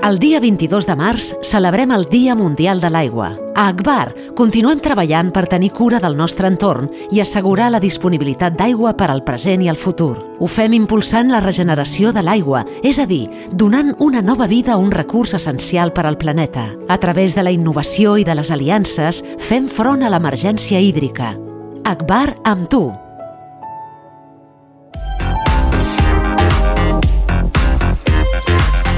El dia 22 de març celebrem el Dia Mundial de l'Aigua. A Agbar continuem treballant per tenir cura del nostre entorn i assegurar la disponibilitat d'aigua per al present i el futur. Ho fem impulsant la regeneració de l'aigua, és a dir, donant una nova vida a un recurs essencial per al planeta. A través de la innovació i de les aliances, fem front a l'emergència hídrica. Agbar amb tu.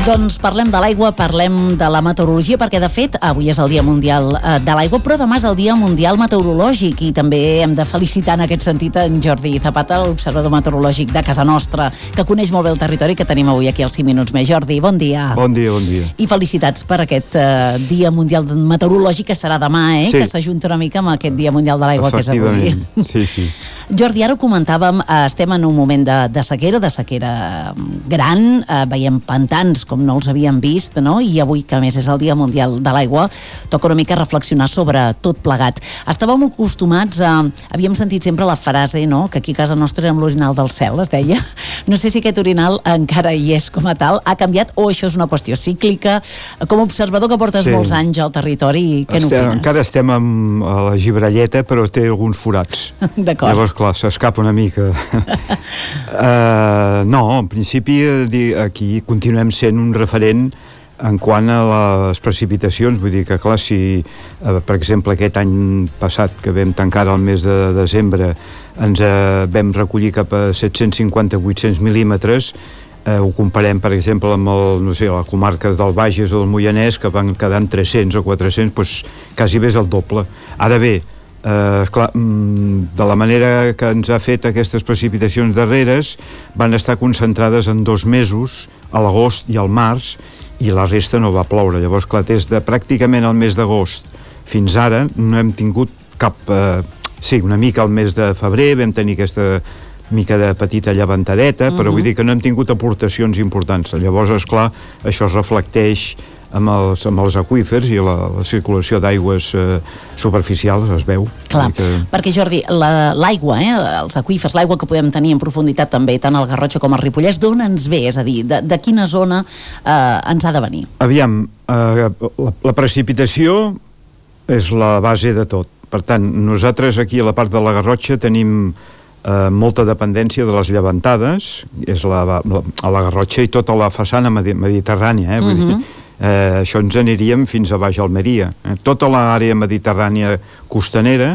Doncs parlem de l'aigua, parlem de la meteorologia, perquè de fet avui és el Dia Mundial de l'Aigua, però demà és el Dia Mundial Meteorològic i també hem de felicitar en aquest sentit en Jordi Zapata, l'observador meteorològic de casa nostra, que coneix molt bé el territori, que tenim avui aquí als 5 minuts més. Jordi, bon dia. Bon dia, bon dia. I felicitats per aquest Dia Mundial Meteorològic que serà demà, Sí. que s'ajunta una mica amb aquest Dia Mundial de l'Aigua que és avui. Sí, sí. Jordi, ara ho comentàvem, estem en un moment de sequera gran, veiem pantans com no els havíem vist, no? I avui, que a més és el Dia Mundial de l'Aigua, toca una mica reflexionar sobre tot plegat. Estàvem acostumats havíem sentit sempre la frase, no?, que aquí a casa nostra érem l'orinal del cel, es deia. No sé si aquest orinal encara hi és com a tal, ha canviat o això és una qüestió cíclica. Com a observador que portes molts anys al territori, què n'opines? Encara estem a la gibrelleta, però té alguns forats. D'acord. Llavors, clar, s'escapa una mica. No, en principi aquí continuem sent un referent en quant a les precipitacions. Vull dir que, clar, si per exemple aquest any passat, que vam tancar el mes de desembre, ens vam recollir cap a 750-800 mil·límetres, ho comparem, per exemple, amb les comarques del Bages o del Moianès, que van quedar en 300 o 400, doncs quasi bé és el doble. Ara bé, clar, de la manera que ens ha fet aquestes precipitacions darreres, van estar concentrades en 2 mesos, a l'agost i al març, i la resta no va ploure. Llavors, clar, des de pràcticament el mes d'agost fins ara no hem tingut cap... Sí, una mica al mes de febrer vam tenir aquesta mica de petita llevantadeta, però vull dir que no hem tingut aportacions importants. Llavors, esclar, això es reflecteix amb els aqüífers i la circulació d'aigües superficials, es veu. Clar, perquè Jordi, l'aigua, els aqüífers, l'aigua que podem tenir en profunditat també, tant al Garrotxa com al Ripollès, d'on ens ve? És a dir, de quina zona ens ha de venir? Aviam, la precipitació és la base de tot. Per tant, nosaltres aquí a la part de la Garrotxa tenim molta dependència de les llevantades, és a la Garrotxa i tota la façana mediterrània, vull dir, això ens aniríem fins a baix Almeria. Tota l'àrea mediterrània costanera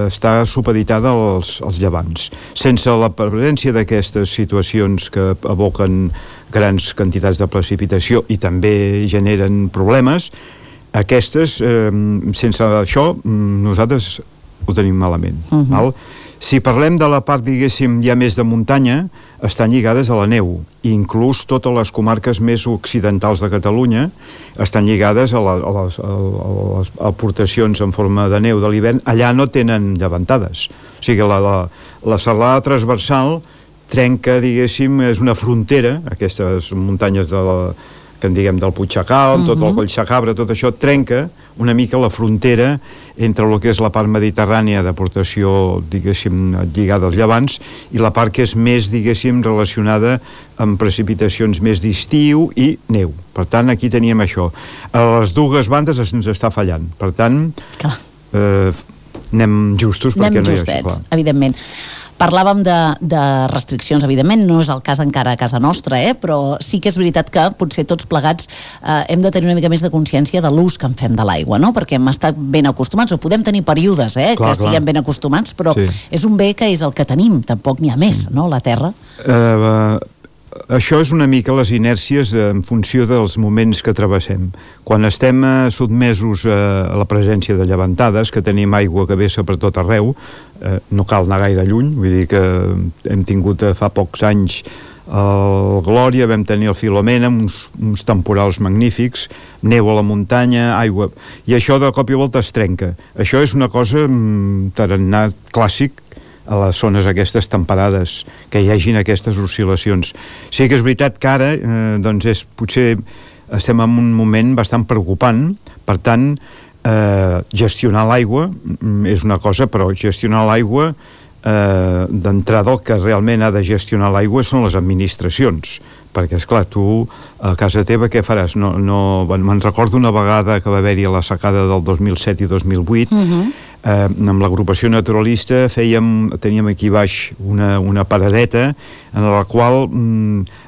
està supeditada als llevants. Sense la presència d'aquestes situacions que evoquen grans quantitats de precipitació i també generen problemes, aquestes, sense això, nosaltres ho tenim malament. Val? Si parlem de la part, diguéssim, ja més de muntanya, estan lligades a la neu. Inclús totes les comarques més occidentals de Catalunya estan lligades a les aportacions en forma de neu de l'hivern. Allà no tenen llevantades. O sigui, la serralada transversal trenca, diguéssim, és una frontera, aquestes muntanyes que en diguem del Puigxacal, tot el Collsacabra, tot això trenca una mica la frontera entre el que és la part mediterrània d'aportació, diguéssim, lligada als llevants, i la part que és més, diguéssim, relacionada amb precipitacions més d'estiu i neu. Per tant, aquí teníem això. A les dues bandes ens està fallant. Per tant, anem justos perquè no hi ha això. Evidentment. Parlàvem de restriccions, evidentment, no és el cas encara a casa nostra, però sí que és veritat que potser tots plegats hem de tenir una mica més de consciència de l'ús que en fem de l'aigua, no? Perquè hem estat ben acostumats, o podem tenir períodes que siguem ben acostumats, però és un bé que és el que tenim, tampoc n'hi ha més, no?, la terra. Això és una mica les inèrcies en funció dels moments que travessem. Quan estem sotmesos a la presència de llevantades, que tenim aigua que vessa per tot arreu, no cal anar gaire lluny, vull dir que hem tingut fa pocs anys el Glòria, vam tenir el Filomena, uns temporals magnífics, neu a la muntanya, aigua, i això de cop i volta es trenca. Això és una cosa tarannà clàssic a les zones aquestes temperades, que hi hagin aquestes oscil·lacions. Sí que és veritat que ara, doncs potser estem en un moment bastant preocupant, per tant, gestionar l'aigua és una cosa, però gestionar l'aigua d'entrada el que realment ha de gestionar l'aigua són les administracions, perquè, esclar, tu a casa teva què faràs? Me'n recordo una vegada que va haver-hi a la secada del 2007 i 2008, amb l'agrupació naturalista teníem aquí baix una paradeta en la qual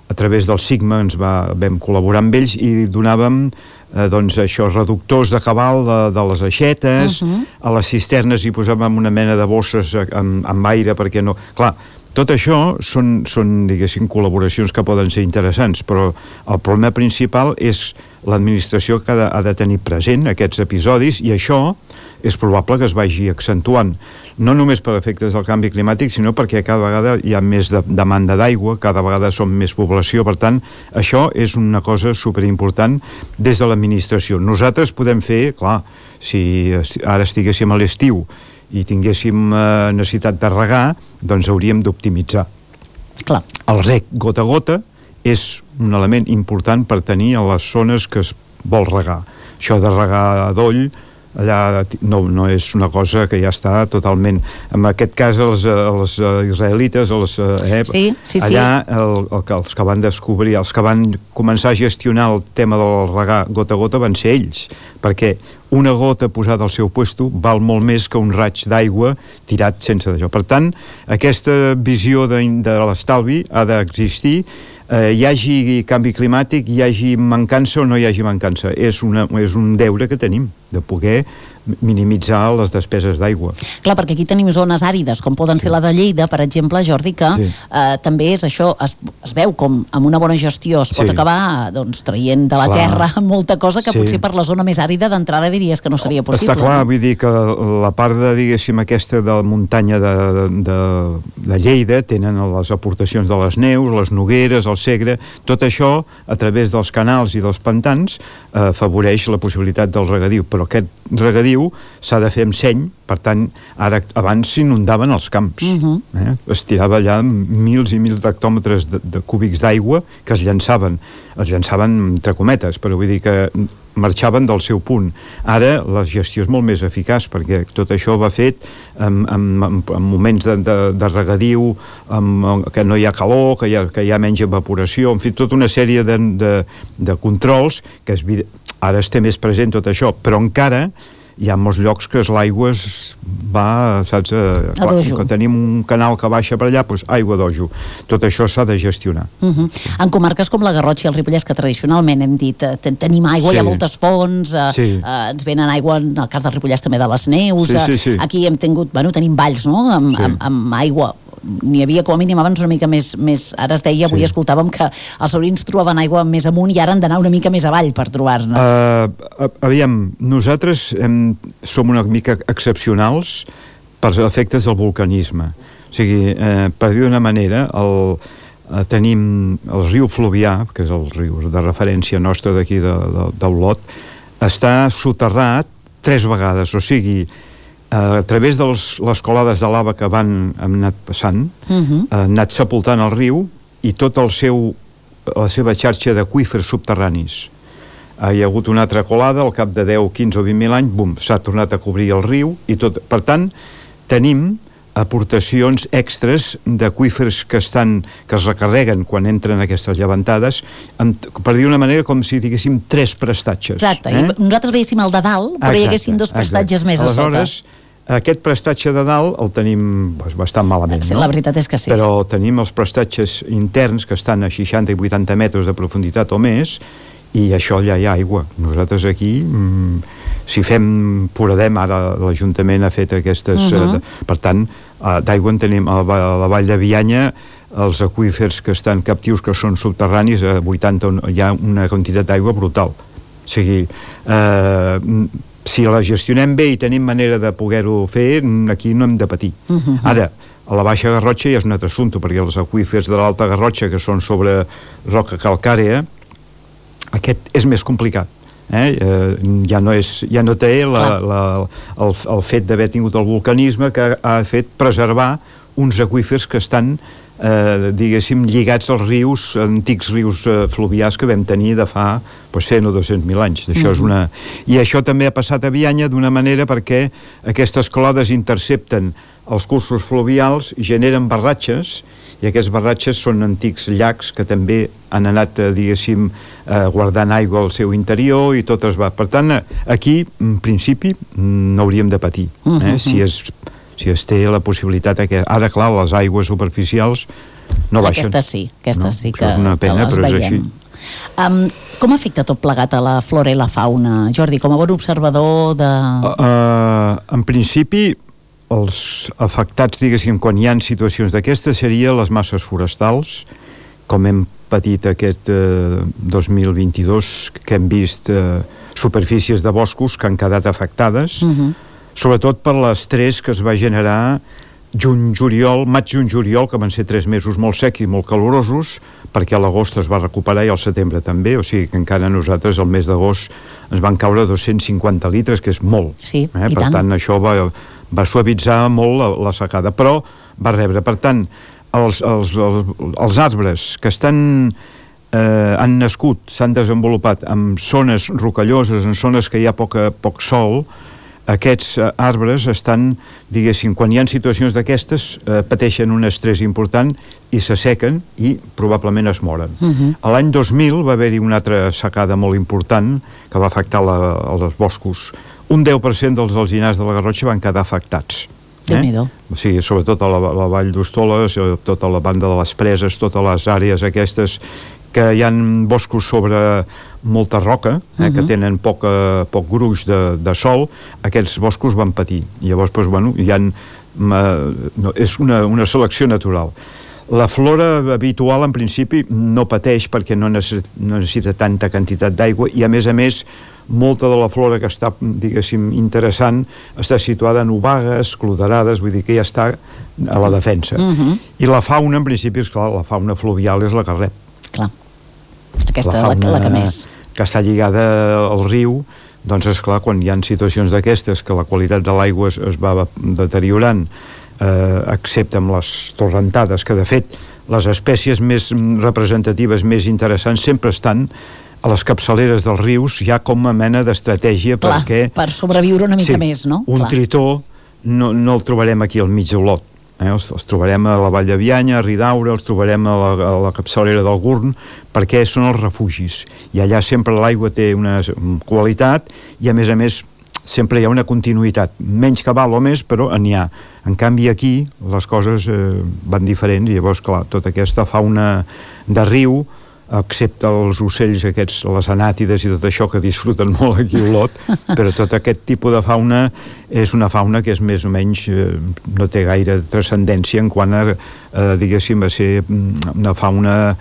a través del Sigma vam col·laborar amb ells i donàvem doncs això, reductors de cabal de les aixetes, a les cisternes hi posàvem una mena de bosses amb aire perquè no... Clar, tot això són, diguéssim, col·laboracions que poden ser interessants, però el problema principal és l'administració que ha de tenir present aquests episodis, i això és probable que es vagi accentuant, no només per efectes del canvi climàtic, sinó perquè cada vegada hi ha més demanda d'aigua, cada vegada som més població, per tant, això és una cosa superimportant des de l'administració. Nosaltres podem fer, clar, si ara estiguéssim a l'estiu i tinguéssim necessitat de regar, doncs hauríem d'optimitzar. Clar. El reg gota a gota és un element important per tenir a les zones que es vol regar. Això de regar a doll, allà no és una cosa que ja està totalment... En aquest cas, els israelites, allà els que van descobrir, els que van començar a gestionar el tema del regar gota a gota van ser ells, perquè una gota posada al seu puesto val molt més que un raig d'aigua tirat sense d'això. Per tant, aquesta visió de l'estalvi ha d'existir, hi hagi canvi climàtic, hi hagi mancança o no hi hagi mancança. És un deure que tenim, de poder minimitzar les despeses d'aigua. Clar, perquè aquí tenim zones àrides, com poden ser la de Lleida, per exemple, Jordi, que també és això, es veu com amb una bona gestió es pot acabar traient de la terra molta cosa que potser per la zona més àrida d'entrada diries que no seria possible. Està clar, vull dir que la part de, diguéssim, aquesta de la muntanya de Lleida tenen les aportacions de les neus, les nogueres, el Segre, tot això a través dels canals i dels pantans afavoreix la possibilitat del regadiu, però aquest regadiu s'ha de fer amb seny, per tant, abans s'inundaven els camps. Es tirava allà mils i mils d'hectòmetres de cúbics d'aigua que es llançaven entre cometes, però vull dir que marxaven del seu punt. Ara la gestió és molt més eficaç, perquè tot això va fet en moments de regadiu, que no hi ha calor, que hi ha menys evaporació, en fi, tota una sèrie de controls que ara es té més present tot això, però encara hi ha molts llocs que l'aigua va, saps? Que tenim un canal que baixa per allà, doncs aigua d'ojo. Tot això s'ha de gestionar. En comarques com la Garrotxa i el Ripollès, que tradicionalment hem dit tenim aigua, hi ha moltes fonts, ens venen aigua, en el cas del Ripollès també de les neus, aquí hem tingut, tenim valls, no?, amb aigua. N'hi havia com a mínim abans una mica més, ara es deia, avui escoltàvem que els sobrins trobaven aigua més amunt i ara han d'anar una mica més avall per trobar-ne. Aviam, nosaltres som una mica excepcionals per efectes del vulcanisme. O sigui, per dir d'una manera, tenim el riu Fluvià, que és el riu de referència nostra d'aquí d'Olot, està soterrat 3 vegades, o sigui, a través de les colades de lava que han anat passant, han anat sepultant el riu i tot la seva xarxa d'aqüífers subterranis. Hi ha hagut una altra colada, al cap de 10, 15 o 20.000 anys, s'ha tornat a cobrir el riu i tot. Per tant, tenim aportacions extres d'aqüífers que es recarreguen quan entren aquestes llevantades, per dir una manera com si diguéssim 3 prestatges. Exacte, i nosaltres veiéssim el de dalt, però hi haguessin 2 prestatges més a sota. Aleshores, aquest prestatge de dalt el tenim bastant malament, no? La veritat és que sí. Però tenim els prestatges interns que estan a 60 i 80 metres de profunditat o més, i això ja hi ha aigua. Nosaltres aquí, si foradem, ara l'Ajuntament ha fet aquestes... Per tant, d'aigua en tenim a la vall de Bianya, els aqüífers que estan captius, que són subterranis, a 80 hi ha una quantitat d'aigua brutal. O sigui, si la gestionem bé i tenim manera de poder-ho fer, aquí no hem de patir. Ara, a la Baixa Garrotxa ja és un altre assumpte, perquè els aqüífers de l'Alta Garrotxa, que són sobre roca calcàrea, aquest és més complicat. Ja no té el fet d'haver tingut el vulcanisme que ha fet preservar uns aqüífers que estan diguéssim, lligats als rius, antics rius fluvials que vam tenir de fa 100 o 200.000 anys. Això és una... I això també ha passat a Bianya d'una manera perquè aquestes clodes intercepten els cursos fluvials i generen barratges, i aquests barratges són antics llacs que també han anat, diguéssim, guardant aigua al seu interior i tot es va. Per tant, aquí, en principi, no hauríem de patir, si es té la possibilitat que... Ara, clar, les aigües superficials no baixen. Aquestes sí que, és una pena, que les però veiem. És així. Com afecta tot plegat a la flora i la fauna, Jordi, com a bon observador de... En principi, els afectats, diguéssim, quan hi ha situacions d'aquestes, serien les masses forestals, com hem patit aquest 2022, que hem vist superfícies de boscos que han quedat afectades, sobretot per l'estrès que es va generar maig-juny-juliol, que van ser 3 mesos molt secs i molt calorosos, perquè a l'agost es va recuperar i al setembre també, o sigui que encara nosaltres al mes d'agost ens van caure 250 litres, que és molt. Sí, i per tant, això va suavitzar molt la secada, però va rebre. Per tant, els arbres que han nascut, s'han desenvolupat en zones rocalloses, en zones que hi ha poc sol, aquests arbres estan, diguéssim, quan hi ha situacions d'aquestes, pateixen un estrès important i s'assequen i probablement es moren. A l'any 2000 va haver-hi una altra secada molt important que va afectar els boscos. Un 10% dels alzinars de la Garrotxa van quedar afectats. Déu-n'hi-do. O sigui, sobretot a la vall d'Hostoles, tota la banda de les Preses, totes les àrees aquestes que hi ha boscos sobre molta roca, que tenen poc gruix de sol, aquests boscos van patir. Llavors, és una selecció natural. La flora habitual, en principi, no pateix perquè no necessita tanta quantitat d'aigua i, a més, molta de la flora que està, diguéssim, interessant està situada en obagues, cloderades, vull dir que ja està a la defensa. I la fauna, en principi, és clar, la fauna fluvial és la que rep. Clar. Aquesta és la que més. Que està lligada al riu, doncs és clar, quan hi ha situacions d'aquestes que la qualitat de l'aigua es va deteriorant, excepte amb les torrentades, que de fet les espècies més representatives, més interessants, sempre estan a les capçaleres dels rius, ja com a mena d'estratègia perquè... per sobreviure una mica més, no? Un tritó no el trobarem aquí al mig d'Olot. Els trobarem a la Vall de Bianya, a Ridaura, els trobarem a la capçalera del Gurn, perquè són els refugis. I allà sempre l'aigua té una qualitat i, a més, sempre hi ha una continuïtat. Menys cabal o més, però n'hi ha. En canvi, aquí les coses van diferents i llavors, clar, tota aquesta fauna de riu, excepte els ocells aquests, les anàtides i tot això que disfruten molt aquí a Olot, però tot aquest tipus de fauna és una fauna que és més o menys no té gaire transcendència en quant a, diguéssim, a ser una fauna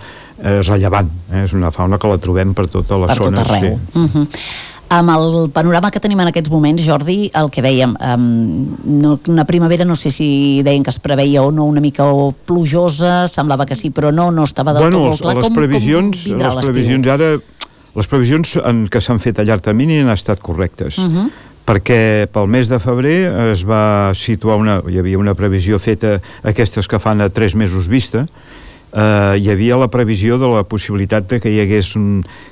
rellevant. És una fauna que la trobem per totes les zones. Per tot arreu. Sí. Amb el panorama que tenim en aquests moments, Jordi, el que dèiem, una primavera, no sé si deien que es preveia o no una mica plujosa, semblava que sí, però no estava del tot molt clar. Com vindrà l'estiu? Les previsions que s'han fet a llarg termini han estat correctes, perquè pel mes de febrer es va situar hi havia una previsió feta, aquestes que fan a 3 mesos vista, hi havia la previsió de la possibilitat de que hi hagués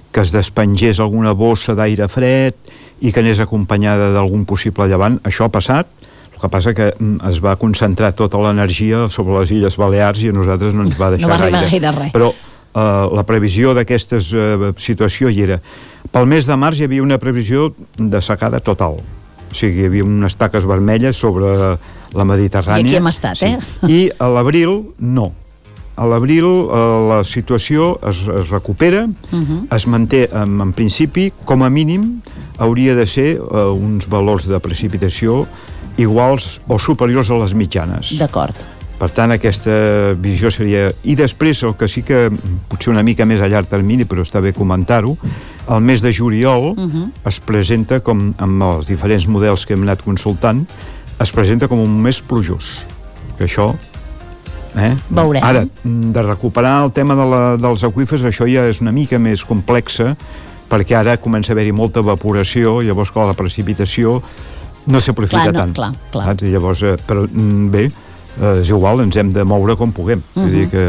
que es despengés alguna bossa d'aire fred i que anés acompanyada d'algun possible llevant. Això ha passat, el que passa que es va concentrar tota l'energia sobre les Illes Balears i a nosaltres no ens va deixar gaire res. Però la previsió d'aquesta situació hi era. Pel mes de març hi havia una previsió de secada total. O sigui, hi havia unes taques vermelles sobre la Mediterrània. I aquí hem estat, I a l'abril, no. A l'abril la situació es recupera, es manté, en principi, com a mínim, hauria de ser uns valors de precipitació iguals o superiors a les mitjanes. D'acord. Per tant, aquesta visió seria... I després, el que sí que potser una mica més a llarg termini, però està bé comentar-ho, el mes de juliol es presenta, com amb els diferents models que hem anat consultant, es presenta com un mes plujós. Que això... Veurem. Ara, de recuperar el tema dels aqüífers, això ja és una mica més complexa, perquè ara comença a haver-hi molta evaporació, llavors, clar, la precipitació no s'aprofita tant. Clar. Llavors, però bé, és igual, ens hem de moure com puguem. Vull dir que...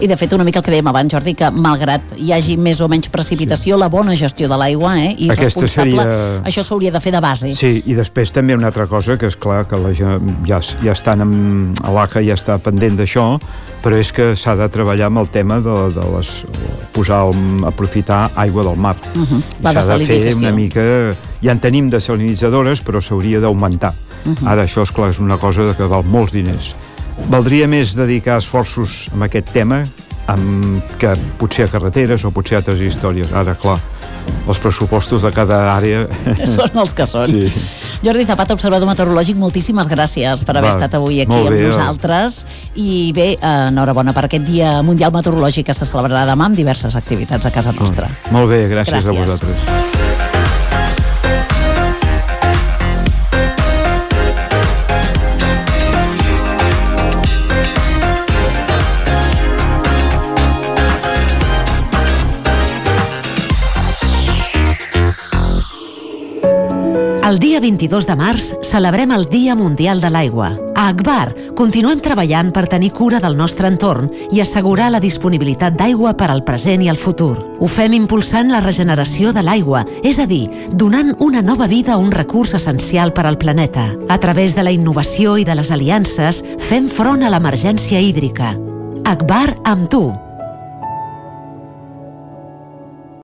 I de fet, una mica el que dèiem abans, Jordi, que malgrat hi hagi més o menys precipitació, la bona gestió de l'aigua, i aquesta responsable, seria... això s'hauria de fer de base. Sí, i després també una altra cosa, que és clar que ja estan a l'ACA ja està pendent d'això, però és que s'ha de treballar amb el tema de aprofitar aigua del mar. La s'ha de fer desalinizació. una mica... Ja en tenim desalinitzadores, però s'hauria d'augmentar. Ara això, esclar, és una cosa que val molts diners. Valdria més dedicar esforços en aquest tema que potser a carreteres o potser a altres històries. Ara, clar, els pressupostos de cada àrea... Són els que són. Sí. Jordi Zapata, observador meteorològic, moltíssimes gràcies per haver estat avui aquí amb nosaltres. I bé, enhorabona per aquest Dia Mundial Meteorològic que se celebrarà demà amb diverses activitats a casa nostra. Molt bé, gràcies a vosaltres. El dia 22 de març celebrem el Dia Mundial de l'Aigua. A Agbar continuem treballant per tenir cura del nostre entorn i assegurar la disponibilitat d'aigua per al present i el futur. Ho fem impulsant la regeneració de l'aigua, és a dir, donant una nova vida a un recurs essencial per al planeta. A través de la innovació i de les aliances, fem front a l'emergència hídrica. Agbar amb tu.